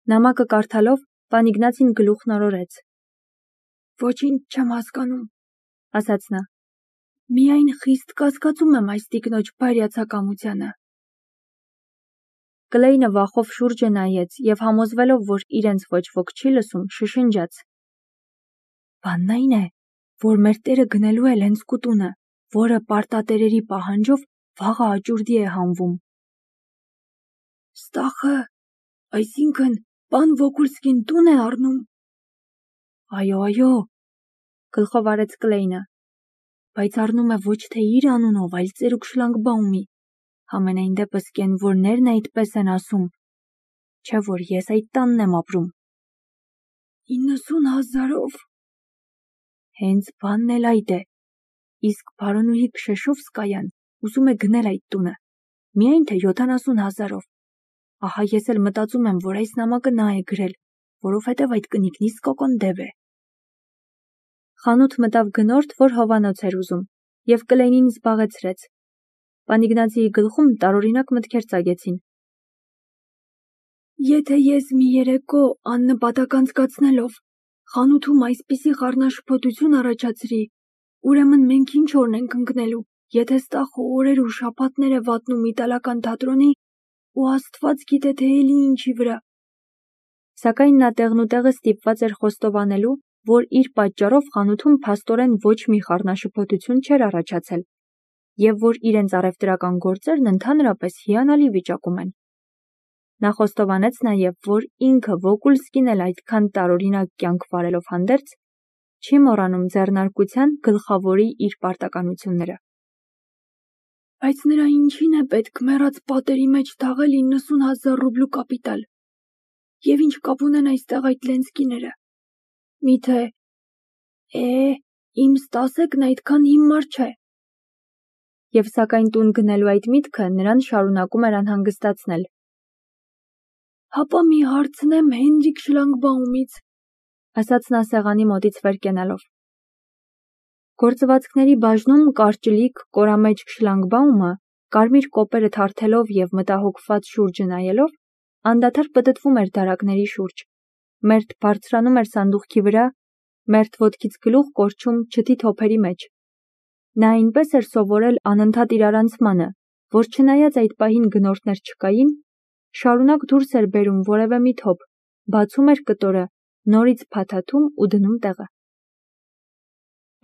Նամակը կարդալով պան Իգնացին գլուխն օրորեց։ Ոչինչ չեմ հասկանում, ասաց նա։ Միայն խիստ կասկածում եմ այս տիկնոջ բարյացակամությանը։ Կլեյնը վախով շուրջը նայեց և համոզվելով, որ իրենց ոչ ոք չի լսում, շշնջաց. Բանն այն է, որ մեր տերը գնելու է Լենսկու տունը, որը պարտատերերի պահանջով վաղը աճուրդի է հանվում։ Ստախը, այսինքն պան Վոկուլսկին տուն է առնում։ Այո, գլխով արեց Կլեյնը, բայց առնում է ոչ թե իր անունով, այլ ծերուկ Շլանգբաումի։ Համենայն դեպս կենվորներն այդպես են ասում, չէ որ ես այդ տանն եմ ապրում։ 90,000-ով։ Հենց բանն էլ այդ է, իսկ բարոնուհի Քշեշովսկայան ուզում է գնել այդ տունը, միայն թե 70,000-ով։ Ահա ես էլ մտածում եմ, որ այս նամակը նա է գրել, որովհետև այդ կնիկն իսկական դև է։ Խանութ մտավ գնորդ, որ հովանոց էր ուզում, և Կլեյնին զբաղեցրեց։ Պան Իգնացիի գլխում տարօրինակ մտքեր ծագեցին։ Եթե ես մի երեկո աննպատակ անցկացնելով խանութում այսպիսի խառնաշփոթություն առաջացրի, ուրեմն մենք ինչ օրն ենք ընկնելու, եթե Ստախը օրեր ու շաբաթներ է վատնում իտալական թատրոնի ու Աստված գիտե թե էլի ինչի վրա։ Սակայն նա տեղնուտեղը ստիպված էր խոստովանելու, որ իր պատճառով խանութում փաստորեն ոչ մի խառնաշփոթություն չէր առաջացել, և որ իրենց առևտրական գործերն ընդհանրապես հիանալի վիճակում են։ Նա խոստովանեց նաև, որ ինքը Վոկուլսկին էլ այդքան տարօրինակ կյանք վարելով հանդերձ չի մոռանում ձեռնարկության գլխավորի իր պարտականությունները։ Բայց նրա ինչին է պետք մեռած պատերի մեջ թաղել 90,000 ռուբլու կապիտալ։ Եվ ինչ կապ ունեն այստեղ այդ Լենսկիները։ Միթե, իմ Ստասեկն այդքան հիմար չէ։ Եվ սակայն տուն գնելու այդ միտքը նրան շարունակում էր անհանգստացնել։ Հապա մի հարցնեմ Հենրիկ Շլանգբաումից, ասաց նա սեղանի մոտից վեր կենալով։ Գործվածքների բաժնում կարճլիկ, կորամեջք Շլանգբաումը, կարմիր կոպերը թարթելով և մտահոգված շուրջը նայելով, անդադար պտտվում էր դարակների շուրջ, մերթ բարձրանում էր սանդուղքի վրա, մերթ ոտքից գլուխ կորչում չթի թոփերի մեջ։ Նա այնպես էր սովորել անընդհատ իրարանցմանը, որ չնայած այդ պահին գնորդներ չկային, շարունակ դուրս էր բերում որևէ մի թոփ, բացում էր կտորը, նորից փաթաթում ու դնում տեղը։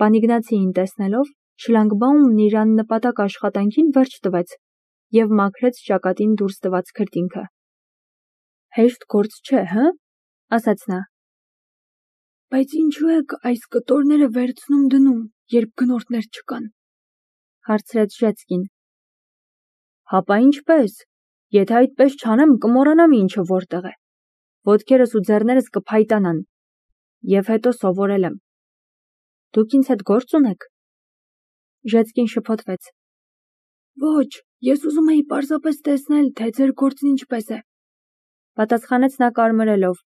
Պան Իգնացիին տեսնելով, Շլանգբաումն իր աննպատակ աշխատանքին վերջ տվեց և մաքրեց ճակատին դուրս տված քրտինքը։ Հեշտ գործ չէ, հը՞, ասաց նա։ Բայց ինչու եք այս կտորները վերցնում դնում, երբ գնորդներ չկան, հարցրեց Ժեցկին։ Հապա ինչպես, եթե այդպես չանեմ, կմոռանամ ինչը որտեղ է, ոտքերս ու ձեռներս կփայտանան, և հետո սովորել եմ։ Դուք ինձ հետ գործ ունեք։ Ժեցկին շփոթվեց։ Ոչ, ես ուզում էի պարզապես տեսնել, թե ձեր գործն ինչպես է, պատասխանեց նա կարմրելով,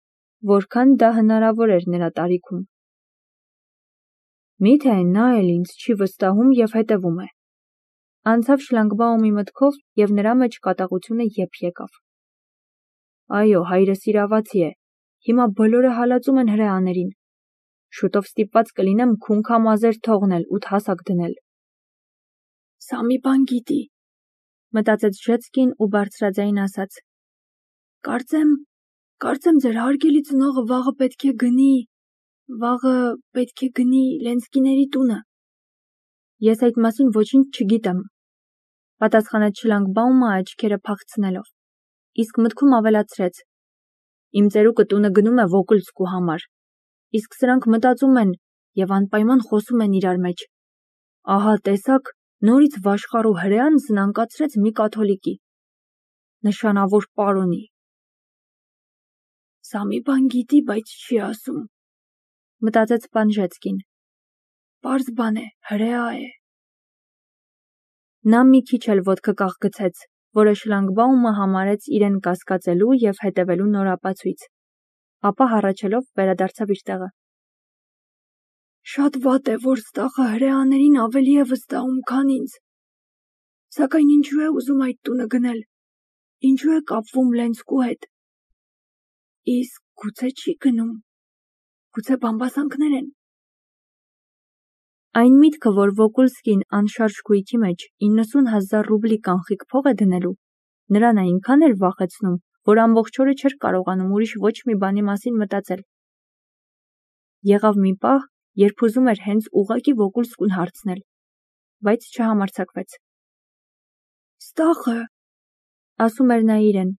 որքան դա հնարավոր էր նրա տարիքում։ Միթե նա էլ ինձ չի վստահում և հետևում է։ Անցավ Շլանգբաումի մտքով և նրա մեջ կատաղությունը եփ եկավ։ Այո, հայրս իրավացի է, հիմա բոլորը հալածում են հրեաներին։ Շուտով ստիպված կլինեմ քունքամազեր թողնել ու հասակ դնել։ Սա մի բան գիտի, մտածեց Ժեցկին ու բարձրաձայն ասաց. Կարծեմ ձեր հարգելի ծնողը վաղը պետք է գնի Լենսկիների տունը։ Ես այդ մասին ոչինչ չգիտեմ, պատասխանեց Շլանգբաումը աչքերը փախցնելով, իսկ մտքում ավելացրեց. Իմ ծերուկը տունը գնում է Վոկուլսկու համար, իսկ սրանք մտածում են և անպայման խոսում են իրար մեջ. ահա տեսաք, նորից վաշխառու հրեան զնանկացրեց մի կաթոլիկի, նշանավոր պարոնի։ Սա մի բան գիտի, բայց չի ասում, մտածեց պան Ժեցկին։ Պարզ բան է, հրեա է։ Նա մի քիչ էլ ոտքը կաղգցեց, որը Շլանգբաումը համարեց իրեն կասկածելու և հետևելու նոր ապացույց, ապա հառաչելով վերադարձավ իր տեղը։ Շատ վատ է, որ Ստախը հրեաներին ավելի է վստահում, քան ինձ։ Սակայն ինչու է ուզում այդ տունը գնել, ինչու է կապվում Լենսկու հետ։ Իսկ գուցե չի գնում, գուցե բամբասանքներ են։ Այն միտքը, որ Վոկուլսկին անշարժ գույքի մեջ 90,000 ռուբլի կանխիկ փող է դնելու, նրան այնքան էր վախեցնում, որ ամբողջ օրը չէր կարողանում ուրիշ ոչ մի բանի մասին մտածել։ Եղավ մի պահ, երբ ուզում էր հենց ուղղակի Վոկուլսկուն հարցնել, բայց չհամարձակվեց։ Ստախը, ասում էր նա իրեն,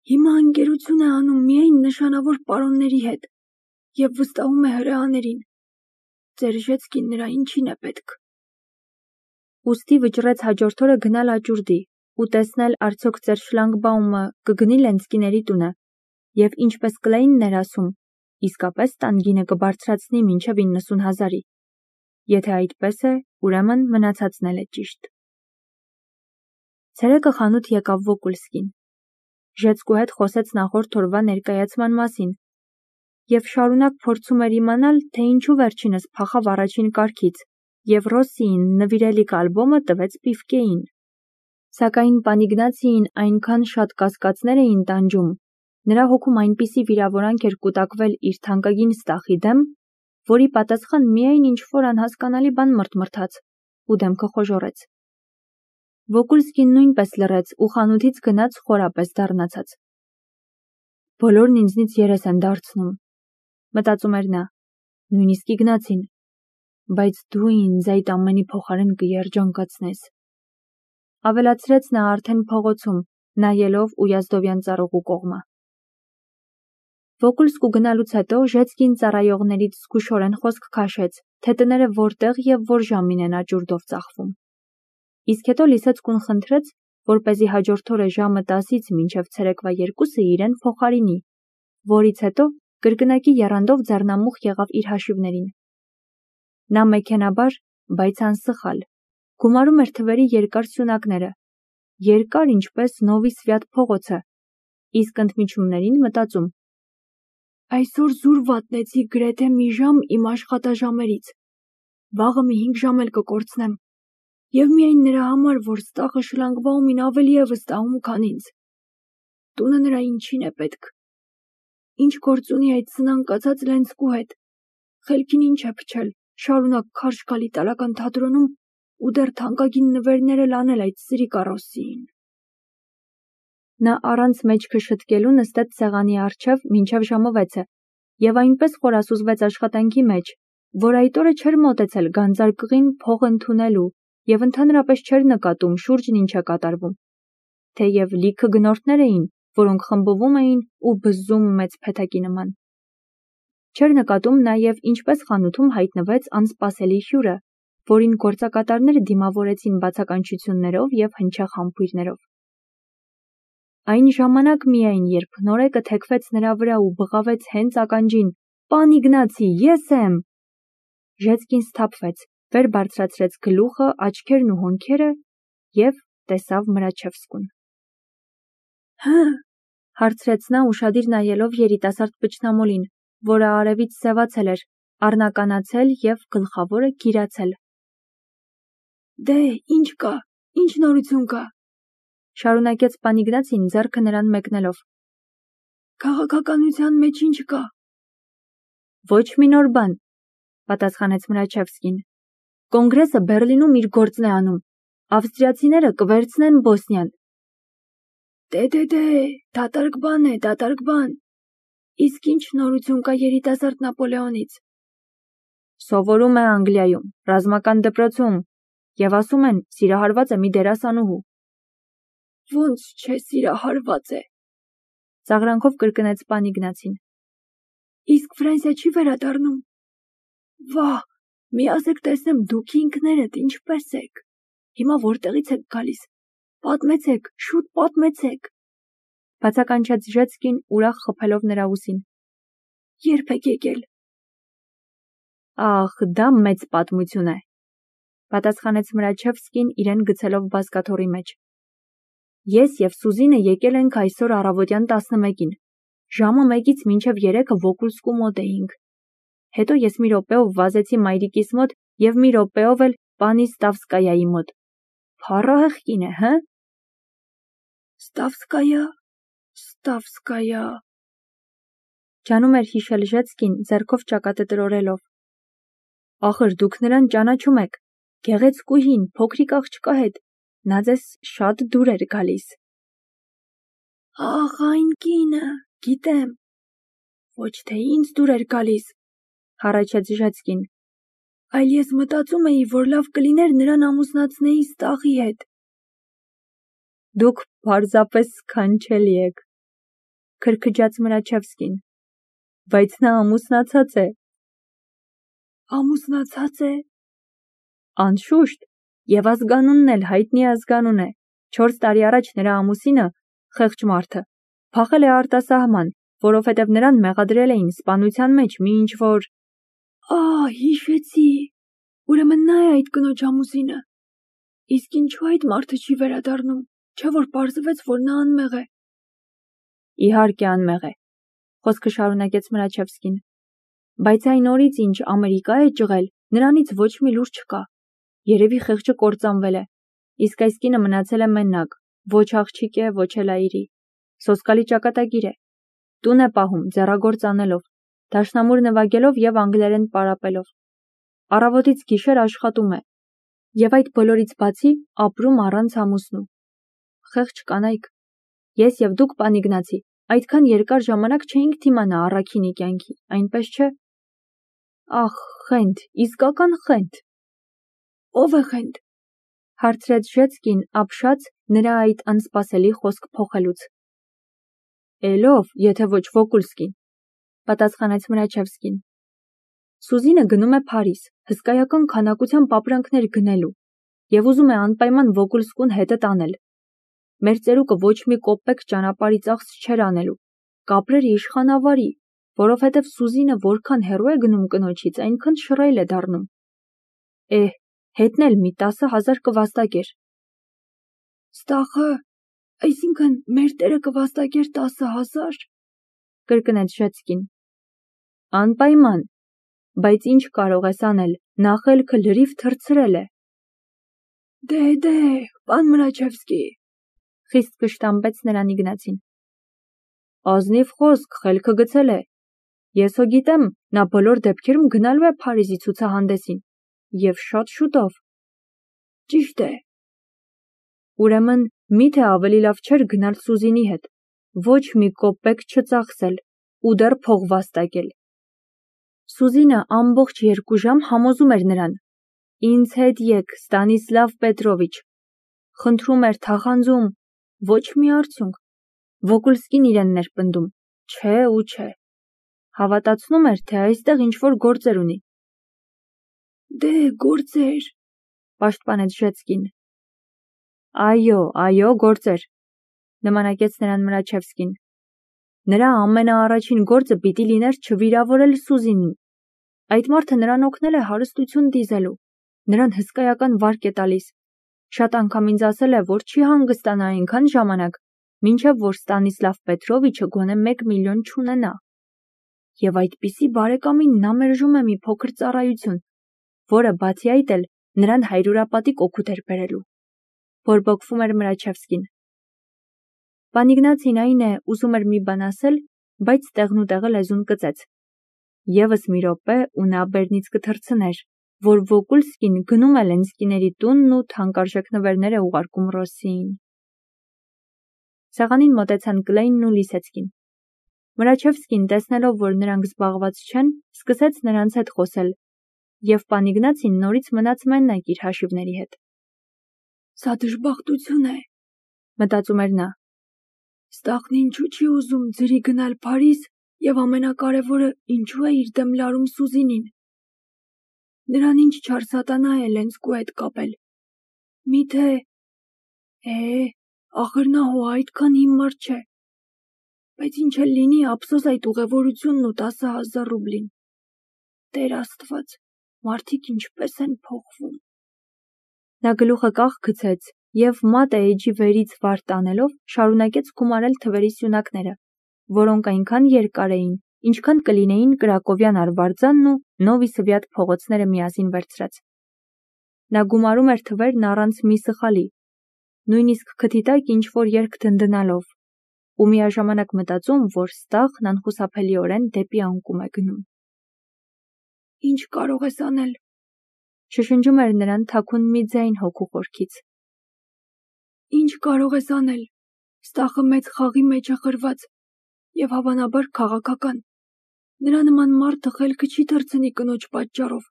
հիմա ընկերություն է անում միայն նշանավոր պարոնների հետ և վստահում է հրեաներին։ Ձեր Ժեցկին նրա ինչին է պետք։ Ուստի վճռեց հաջորդ օրը գնալ աճուրդի ու տեսնել արդյոք ձեր շլանգբաումը կգնի Լենցկիների տունը և ինչպես Կլեյնն էր ասում, իսկապես տան գինը կբարձրացնի մինչև 90,000-ի։ Եթե այդպես է, ուրեմն մնացածն էլ է ճիշտ։ Ցերեկը խանութ եկավ Վոկուլսկին։ Ժեցկու հետ խոսեց նախորդ օրվա ներկայացման մասին և շարունակ փորձում էր իմանալ, թե ինչու վերջինս փախավ առաջին կարգից և Ռոսսիին նվիրելիք ալբոմը տվեց Պիվկեին։ Սակայն Պանիգնացիին այնքան շատ կասկածներ էին տանջում, նրա հոգում այնպիսի վիրավորանք էր կուտակվել իր թանկագին Ստախի դեմ, որի պատասխան միայն ինչ-որ անհասկանալի բան մրթմրթաց ու դեմքը խոժոռեց։ Վոկուլսկին նույնպես լռեց ու խանութից գնաց խորապես դառնացած։ Բոլորն ինձնից երես են դարձնում, մտածում էր նա, նույնիսկ Իգնացին, բայց դու ինձ այդ ամենի փոխարեն կերջանկացնես, ավելացրեց նա արդեն փողոցում, նայելով Ույազդովյան ծառուղու կողմը։ Վոկուլսկու գնալուց հետո Ժեցկին ծառայողներից զգուշորեն խոսք քաշեց, թե տները որտեղ և որ ժամին են աճուրդով ծախվում։ Իսկ հետո Լիսեցկուն խնդրեց, որպեսզի հաջորդ օրը ժամը 10-ից մինչև ցերեկվա 2-ը իրեն փոխարինի, որից հետո կրկնակի եռանդով ձեռնամուխ եղավ իր հաշիվներին։ Նա մեքենաբար, բայց անսխալ, գումարում էր թվերի երկար սյունակները, երկար ինչպես Նովի Սվյատ փողոցը, իսկ ընդմիջումներին մտածում. այսօր զուր վատնեցի գրեթե մի ժամ իմ աշխատաժամերից, վաղը մի 5 ժամ էլ կկորցնեմ, և միայն նրա համար, որ Ստախը շլանգբաումին ավելի է վստահում, քան ինձ։ Տունը նրա ինչին է պետք։ Ինչ գործ ունի այդ սնանկացած Լենցկու հետ, խելքին ինչ է փչել, շարունակ քարշ գալ իտալական թատրոնում ու դեռ թանկագին նվերներ էլ անել այդ սրիկա Ռոսսիին։ Նա առանց մեջքը շտկելու նստեց սեղանի առջև մինչև ժամը 6-ը և այնպես խորասուզվեց աշխատանքի մեջ, որ այդ օրը չէր մոտեցել գանձարկղին փող ընդունելու և ընդհանրապես չէր նկատում շուրջն ինչ է կատարվում, թեև լիքը գնորդներ էին, որոնք խմբվում էին ու բզզում մեծ փեթակի նման։ Չէր նկատում նաև ինչպես խանութում հայտնվեց անսպասելի հյուրը, որին գործակատարները դիմավորեցին բացականչություններով և հնչեղ համբույրներով։ Այն ժամանակ միայն, երբ նորեկը թեքվեց նրա վրա ու բղավեց հենց ականջին. «Պան Իգնացի, ես եմ», Ժեցկին սթափվեց, վեր բարձրացրեց գլուխը, աչքերն ու հոնքերը և տեսավ Մրաչևսկուն։ Հը՞, հարցրեց նա ուշադիր նայելով երիտասարդ պճնամոլին, որը արևից սևացել էր, առնականացել և գլխավորը գիրացել։ Դե, ինչ կա, ինչ նորություն կա, շարունակեց պան Իգնացին ձեռքը նրան մեկնելով։ Քաղաքականության մեջ ինչ կա։ Ոչ մի նոր բան, պատասխանեց Մրաչևսկին։ Կոնգրեսը Բեռլինում իր գործն է անում, ավստրիացիները կվերցնեն Բոսնիան։ Դե, դատարկ բան է, դատարկ բան։ Իսկ ինչ նորություն կա երիտասարդ Նապոլեոնից։ Սովորում է Անգլիայում, ռազմական դպրոցում, և ասում են, սիրահարված է մի դերասանուհու։ Ոնց չէ սիրահարված է, ծաղրանքով կրկնեց պան Իգնացին։ Իսկ Ֆրանսիա չի վերադառնում։ Վահ, մի ասեք տեսնեմ դուք ինքներդ ինչպես եք։ Հիմա որտեղից եք գալիս։ Պատմեցեք, շուտ պատմեցեք, բացականչեց Ժեցկին ուրախ խփելով նրա ուսին։ Երբ եք եկել։ Ախ, դա մեծ պատմություն է, պատասխանեց Մրաչևսկին իրեն գցելով բազկաթոռի մեջ։ Ես և Սուզինը եկել ենք այսօր առավոտյան 11-ին, ժամը 1-ից մինչև 3-ը Վոկուլսկու մոտ էինք։ Հետո ես մի րոպեով վազեցի մայրիկիս մոտ և մի րոպեով էլ պանի Ստավսկայայի մոտ։ Փառահեղ կին է, հը։ Ստավսկայա, Ջանում էր հիշել Ժեցկին, ձեռքով ճակատը տրորելով։ Ախր դուք նրան ճանաչում եք, գեղեցկուհին, փոքրիկ աղջկա հետ, նա ձեզ շատ դուր էր գալիս։ Ախ, այն կինը, գիտեմ, ոչ թե ինձ դուր էր գալիս, հառաչեց Ժեցկին, այլ ես մտածում էի, որ լավ կլիներ նրան ամուսնացնեի Ստախի հետ։ Դուք պարզապես սքանչելի եք, քրքջաց Մրաչևսկին, բայց նա ամուսնացած է։ Ամուսնացած է։ Անշուշտ, եւ ազգանունն էլ հայտնի ազգանուն է։ 4 տարի առաջ նրա ամուսինը, խեղճ մարդը, փախել է արտասահման, որովհետև նրան մեղադրել էին սպանության մեջ մի ինչ-որ… Հիշեցի, ուրեմն նա է այդ կնոջ ամուսինը։ Իսկ ինչու այդ մարդը չի վերադառնում, չէ՞ որ պարզվեց, որ նա անմեղ է։ Իհարկե անմեղ է, խոսքը շարունակեց Մրաչևսկին, բայց այն օրից, ինչ Ամերիկա է ճղել, նրանից ոչ մի լուր չկա։ Երևի խեղճը կործանվել է, իսկ այս կինը մնացել է մենակ, ոչ աղջիկ է, ոչ էլ այրի։ Սոսկալի ճակատագիր է, տուն է պահում, ձեռագործ անելով, դաշնամուր նվագելով եւ անգլերեն պարապելով։ Առավոտից գիշեր աշխատում է, եւ այդ բոլորից բացի ապրում առանց ամուսնու։ Խեղճ կանայք, ես եւ դուք, պան Իգնացի, այդքան երկար ժամանակ չէինք դիմանա առաքինի կյանքի, այնպես չէ։ Ախ, խենթ, իսկական խենթ։ Ո՞վ է խենթ, հարցրեց Ժեցկին, ապշած նրա այդ անսպասելի խոսք փոխելուց։ Էլով, եթե ոչ Վոկուլսկին, պատասխանեց Մրաչևսկին։ Սուզինը գնում է Փարիզ, հսկայական քանակությամբ ապրանքներ գնելու, եւ ուզում է անպայման Վոկուլսկուն հետը տանել։ Մեր ծերուկը ոչ մի կոպեկ ճանապարհի ծախս չէր անելու, կապրեր իշխանավարի, որովհետև Սուզինը որքան հեռու է գնում կնոջից, այնքան շռայլ է դառնում։ Հետն էլ մի 10,000 կվաստակեր։ Ստախը, այսինքն մեր տերը կվաստակեր 10,000, կրկնեց Ժեցկին։ Անպայման, բայց ինչ կարող ես անել, նախելքը լրիվ թռցրել է։ Դե, պան Մրաչևսկի, խիստ կշտամբեց նրան Իգնացին։ Ազնիվ խոսք, խելքը գցել է։ Ես հո գիտեմ, նա բոլոր դեպքերում գնալու է Փարիզի ցուցահանդեսին, եւ շատ շուտով։ Ճիշտ է։ Ուրեմն, միթե ավելի լավ չէր գնալ Սուզինի հետ, ոչ մի կոպեկ չծախսել ու դեռ փող վաստակել։ Սուզինը ամբողջ 2 ժամ համոզում էր նրան. Ինձ հետ եկ, Ստանիսլավ Պետրովիչ, խնդրում էր, թախանձում, ոչ մի արդյունք։ Վոկուլսկին իրենն էր պնդում, չէ ու չէ։ Հավատացնում էր, թե այստեղ ինչ-որ գործեր ունի։ Դե, գործեր, պաշտպանեց Ժեցկին։ Այո, գործեր, նմանակեց նրան Մրաչևսկին։ Նրա ամենաառաջին գործը պիտի լիներ չվիրավորել Սուզինին։ Այդ մարդը նրան օգնել է հարստություն դիզելու, նրան հսկայական վարկ է տալիս։ Շատ անգամ ինձ ասել է, որ չի հանգստանա այնքան ժամանակ, մինչև որ Ստանիսլավ Պետրովիչը գոնե 1 միլիոն չունենա։ Եվ այդպիսի բարեկամին նա մերժում է մի փոքր ծառայություն, որը բացի այդ էլ նրան հայրուրապատիկ օգուտ էր բերելու։ Բորբոքվում էր Մրաչևսկին։ Պան Իգնացին այն է, ուզում էր մի բան ասել, բայց տեղնուտեղը լեզուն կծեց։ Եվս մի րոպե ու նա բերնից կթռցներ, որ Վոկուլսկին գնում է Լենսկիների տունն ու թանկարժեք նվերներ է ուղարկում Ռոսսիին։ Սեղանին մոտեցան Կլեյնն ու Լիսեցկին։ Մրաչևսկին, տեսնելով, որ նրանք զբաղված չեն, սկսեց նրանց հետ խոսել, եւ պան Իգնացին նորից մնաց մենակ իր հաշիվների հետ։ Սա դժբախտություն է, մտածում էր նա։ Ստախն ինչու չի ուզում ձրի գնալ Փարիզ եւ ամենակարևորը, ինչու է իր դեմ լարում Սուզինին։ Նրան ինչ չար սատանա է Լենսկու հետ կապել։ Միթե… ախր նա հո այդքան հիմար չէ։ Բայց ինչ էլ լինի, ափսոս այդ ուղևորությունն ու 10,000 ռուբլին։ Տեր Աստված, մարդիկ ինչպես են փոխվում։ Նա գլուխը կախ գցեց եւ մատը էջի վերից վար տանելով շարունակեց գումարել թվերի սյունակները, որոնք այնքան երկար էին, ինչքան կլինեին Կրակովյան արվարձանն ու Նովի Սվյատ փողոցները միասին վերցրած։ Նա գումարում էր թվերն առանց մի սխալի, նույնիսկ քթի տակ ինչ-որ երգ դնդնալով, ու միաժամանակ մտածում, որ ստախն անխուսափելիորեն դեպի անկում է գնում։ Ինչ կարող ես անել, շշնջում էր նրան թաքուն մի ձայն հոգու խորքից։ Ինչ կարող ես անել, ստախը մեծ խաղի մեջ է խրված և հավանաբար քաղաքական։ Նրա նման մարդը խելքը չի թռցնի կնոջ պատճառով,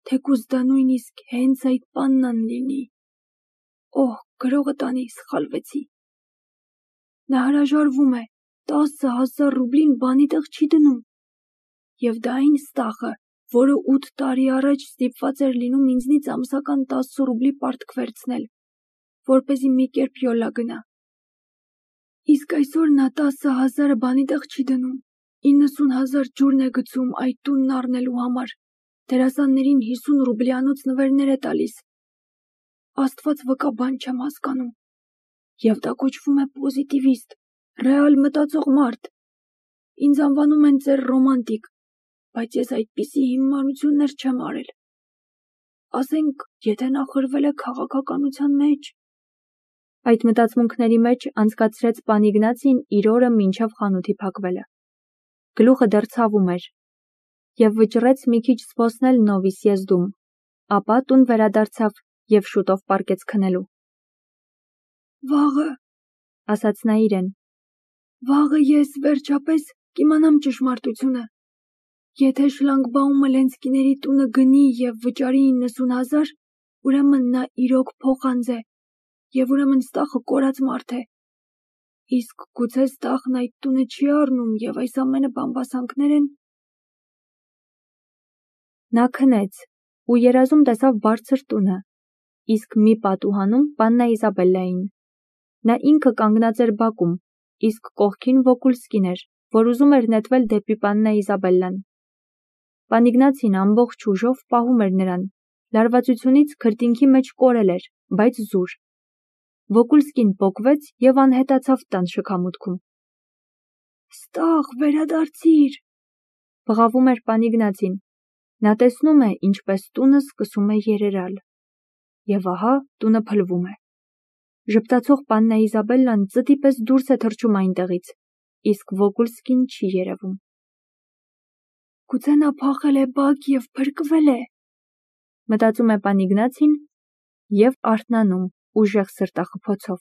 թեկուզ դա նույնիսկ հենց այդ պաննան լինի։ Օհ, գրողը տանի, սխալվեցի։ Նա հրաժարվում է, 10,000 ռուբլին բանի տեղ չի դնում։ Եվ դա այն ստախը, որը 8 տարի առաջ ստիպված էր լինում ինձնից ամսական 10 ռուբլի պարտք վերցնել, որպեսզի մի կերպ յոլա գնա։ Իսկ այսօր նա 10,000-ը բանի տեղ չի դնում, 90,000 ջուրն է գցում այդ տունն առնելու համար, դերասաններին 50 ռուբլյանոց նվերներ է տալիս։ Աստված վկա, բան չեմ հասկանում։ Եվ դա կոչվում է պոզիտիվիստ, ռեալ մտածող մարդ։ Ինձ անվանում են ծեր ռոմանտիկ, բայց ես այդպիսի հիմարություններ չեմ արել։ Ասենք, եթե նա խրվել է քաղաքականության մեջ։ Այդ մտածմունքների մեջ անցկացրեց պան Իգնացին իր օրը մինչև խանութի փակվելը։ Գլուխը դեռ ցավում էր և վճռեց մի քիչ զբոսնել Նովի Սիեզդում, ապա տուն վերադարձավ և շուտով պառկեց քնելու։ Վաղը, ասաց նա իրեն, վաղը ես վերջապես կիմանամ ճշմարտությունը։ Եթե շլագբաումը Լենցկիների տունը գնի և վճարի 90,000, ուրեմն նա իրոք փոխանձ է, և ուրեմն ստախը կորած մարդ է։ Իսկ գուցե ստախն այդ տունը չի առնում և այս ամենը բամբասանքներ են։ Նա քնեց ու երազում տեսավ բարձր տունը, իսկ մի պատուհանում պաննա Իզաբելլային։ Նա ինքը կանգնած էր բակում, իսկ կողքին Վոկուլսկին էր, որ ուզում էր նետվել դեպի պաննա Իզաբելլան։ Պան Իգնացին ամբողջ ուժով պահում էր նրան, լարվածությունից քրտինքի մեջ կորել էր, բայց զուր։ Վոկուլսկին պոկվեց և անհետացավ տան շքամուտքում։ Ստախ, վերադարձիր, բղավում էր պան Իգնացին։ Նա տեսնում է, ինչպես տունը սկսում է երերալ։ Եվ ահա տունը փլվում է։ Ժպտացող պաննա Իզաբելլան ծտի պես դուրս է թռչում այնտեղից, իսկ Վոկուլսկին չի երևում։ Գուցե նա փախել է բակ և փրկվել է, մտածում է պան Իգնացին և արթնանում ուժեղ սրտախփոցով։